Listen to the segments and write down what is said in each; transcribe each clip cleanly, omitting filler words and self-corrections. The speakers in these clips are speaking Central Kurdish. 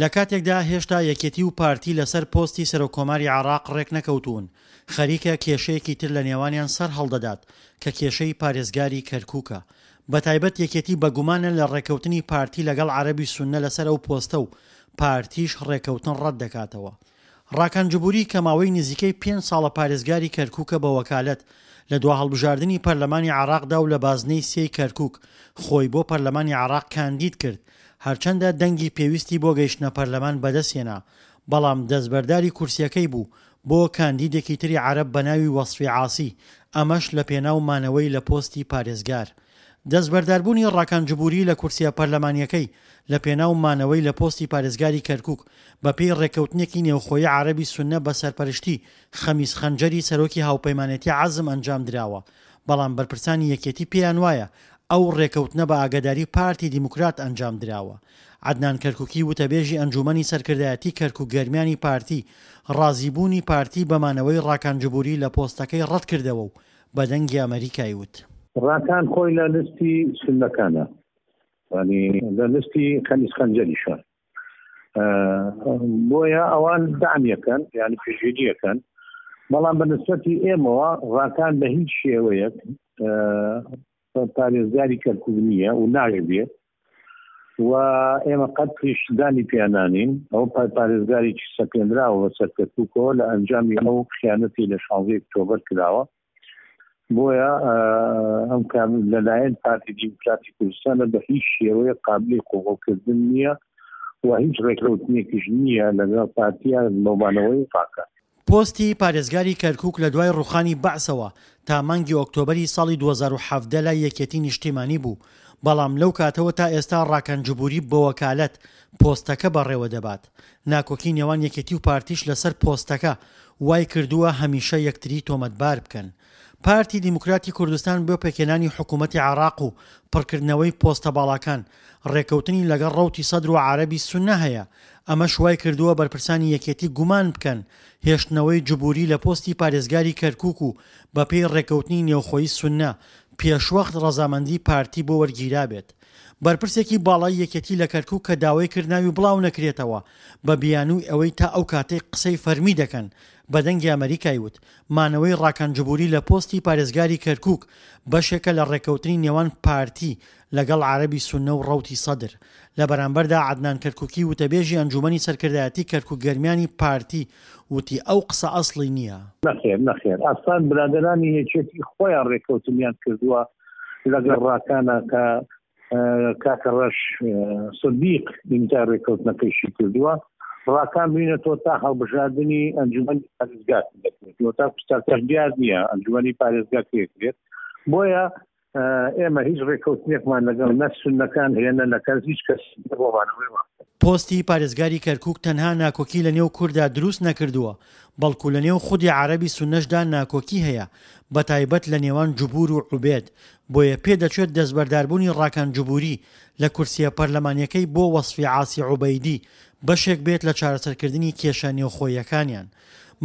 لە کاتێکدا هێشتا یەکێتی و پارتی لەسەر پۆستی سەرۆککۆماری عێراق رێکنەکەوتوون، خەریکە کێشەیەکی تر لە نێوانیان سەرهەڵدەدات کە کێشەی پارێزگاری کەرکوکە. بەتایبەت یەکێتی بەگومانە لە رێککەوتنی پارتی لەگەڵ عەرەبی سوننە لەسەر ئەو پۆستە و پارتیش رێککەوتن رەتدەکاتەوە. ڕاکان جبوری کە ماوەی نزیکەی پێنج ساڵە پارێزگاری کەرکوکە بە وەکالەت، لە دوا هەڵبژاردنی پەرلەمانی عێراقدا و لە بازنەی سێی کەرکوک خۆی بۆ پەرلەمانی عێراق کاندید کرد، هەرچەندە دەنگی پێویستی بۆ گەیشتنە پەرلەمان بەدەستهێنا، بەڵام دەستبەرداری کورسیەکەی بوو بۆ کاندیدێکی تری عەرەب بەناوی وەسفی عاسی، ئەمەش لەپێناو مانەوەی لە پۆستی پارێزگار. دەستبەرداربوونی ڕاکان جبوری لە کورسیە پەرلەمانیەکەی لە پێناو مانەوەی لە پۆستی پارێزگاری کەرکوک بەپێی ڕێککەوتنێکی نێوخۆیی عەرەبی سوننە بە سەرپەرشتی خەمیس خەنجەری سەرۆکی هاوپەیمانێتی عەزم ئەنجام دراوە، بەڵام بەرپرسانی یەکێتی پێیان وایە ئەو ڕێکەوتنە بە ئاگاداری پارتی دیموکرات ئەنجام دراوە. عەدنان کەرکوکی وتەبێژی ئەنجوومەنی سەرکردایەتی کەرکوک گەرمیانی پارتی ڕازیبوونی پارتی بە مانەوەی ڕاکان جبوری لە پۆستەکەی ڕەتکردەوە و بە دەنگی ئەمەریکای وت. ڕاکان خۆی لە لستی سوننەکانە یانی لە لستی خەمیس خەنجەریشە بۆیە ئەوان دەعمیەکەن یانی پشتگیریەکەن بەڵام بە نسبەتی ئێمەوە ڕاکان بە هیچ شێوەیەک پارێزگاری کەرکوک نییە و ناشبێت و ئێمە قەت پیشدانی پیانانین ئەو پارێزگارێکی سەپێنراوە بەسەر کەرکوکەوە لە ئەنجامی ئەو خیانەتی لە 16 ئۆکتۆبەر کراوە بۆیە ئەم لەلایەن پارتی دیموکراتی کوردستانە بە هیچ شێوەیە قابلی قبوڵکردن نییە و هیچ ڕێککەوتنێکیش نییە لەگەڵ پارتیە لۆمانەوەی پاکە. پۆستی پارێزگاری کەرکوک لە دوای ڕوخانی بەعسەوە تا مانگی ئۆکتۆبەری ساڵی 2017 لای یەکێتی نیشتیمانی بوو، بەڵام لەو کاتەوە تا ئێستا ڕاکان جبوری بەوەکالەت پۆستەکە بەڕێوە دەبات. ناکۆکی نێوان یەکێتی و پارتیش لەسەر پۆستەکە وای کردووە هەمیشە یەکتری تۆمەتبار بکەن. پارتی دیموکراتی کوردستان بۆ پێکهێنانی حکوومەتی عێراق و پڕکردنەوەی پۆستە باڵاکان، ڕێککەوتنی لەگەڵ ڕەوتی سەدر و عەرەبی سوننە هەیە، ئەمەش وای کردووە بەرپرسانی یەکێتی گومان بکەن هێشتنەوەی جبوری لە پۆستی پارێزگاری کەرکووک و بەپێی ڕێککەوتنی نێوخۆی سوننە، پێشوەخت ڕەزامەندی پارتی بۆ وەرگیرابێت. بەرپرسێکی باڵای یەکێتی لە کەرکوک کە داوای کرد ناوی بڵاونەکرێتەوە بە بیانووی ئەوەی تا ئەو کاتەی قسەی فەرمی دەکەن بە دەنگی ئەمەریکای وت مانەوەی ڕاکان جبوری لە پۆستی پارێزگاری کەرکوک بەشێکە لە ڕێککەوتنی نێوان پارتی لەگەڵ عەرەبی سوننە و ڕەوتی سەدر. لە بەرامبەردا عەدنان کەرکوکی وتەبێژی ئەنجومەنی سەرکردایەتی کەرکوک گەرمیانی پارتی وتی ئەو قسە ئەسڵی نییە. نەخێر نەخێر ئەسڵەن برادەرانی یەکێتی خۆیان ڕێککەوتنیان کردووە لەگەڵ ڕاکانە کە کاکە ڕەش سدیق ئیمزای ڕێککەوتنەکەیشی کردووە ڕاکان بینێتەوە تا هەڵبژاردنی ئەنجومەنی پارێزگا دەکرێت تا کوستاکەش دیار نییە ئەنجومەنی پارێزگا کرێت بۆیە ئێمە هیچ ڕێککەوتنێکمان لەگەڵ نە سوننەکان هەیە نە لەکەس هیچ کەس بۆمانەوەی پۆستی پارێزگاری کەرکوک تەنها ناکۆکی لە نێو کورددا دروست نەکردووە، بەڵکو لە نێو خودی عەرەبی سوننەشدا ناکۆکی هەیە، بەتایبەت لە نێوان جبور و عوبێد، بۆیە پێدەچێت دەستبەرداربوونی ڕاکان جبوری لە کورسییە پەرلەمانییەکەی بۆ وەسفی عاسی عوبەیدی بەشێک بێت لە چارەسەرکردنی کێشە نێوخۆییەکانیان.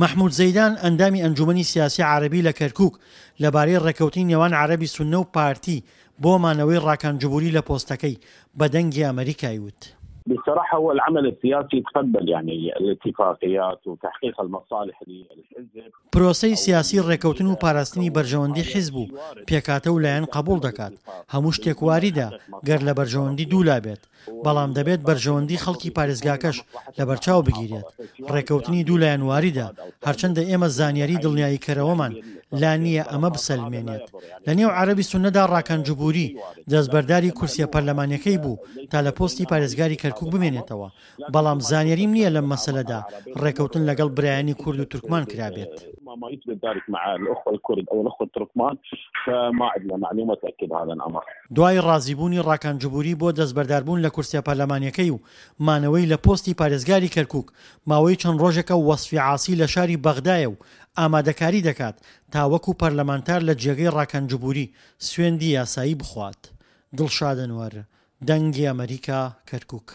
مەحمود زەیدان، ئەندامی ئەنجومەنی سیاسی عەرەبی لە کەرکوک، لەبارەی ڕێککەوتنی نێوان عەرەبی سوننە و پارتی بۆ مانەوەی ڕاکان جبوری لە پۆستەکەی، بە دەنگی ئەمەریکای وت. بصراحة هو العمل السياسي يتقبل يعني الاتفاقيات وتحقيق المصالح للحزب. پرۆسەی سیاسی ڕێکەوتن و پاراستنی بەرژەوەندی حیزب و پێکهاتە و لایەن قەبوڵ دەکات، هەموو شتێک واریدە گەر لە بەرژەوەندی دوولا بێت، بەڵام دەبێت بەرژەوەندی خەڵکی پارێزگاکەش لەبەرچاو بگیرێت. ڕێکەوتنی دوو لایەن واریدە، هەرچەندە ئێمە زانیاری دڵنیاییکەرەوەمان لا نییە ئەمە بسەلمێنێت. لە نێو عەرەبی سوننەدا ڕاکان جبوری دەستبەرداری کورسیە پەرلەمانیەکەی بوو تا لە پۆستی پارێزگاری کەرکوک بمێنێتەوە، بەڵام زانیاریم نییە لەم مەسەلەدا ڕێکەوتن لەگەڵ برایانی کورد و تورکمان کرابێت. دوای ڕازیبوونی ڕاکان جبوری بۆ دەستبەرداربوون لە کورسیە پەرلەمانیەکەی و مانەوەی لە پۆستی پارێزگاری کەرکوک، ماوەی چەند ڕۆژێکە وەسفی عاسی لە شاری بەغدایە و ئامادەکاری دەکات تا وەکو پەرلەمانتار لە جێگەی ڕاکان جبوری سوێندی یاسایی بخوات. دڵشاد ئەنوەر، دەنگی ئەمەریکا، کەرکوک.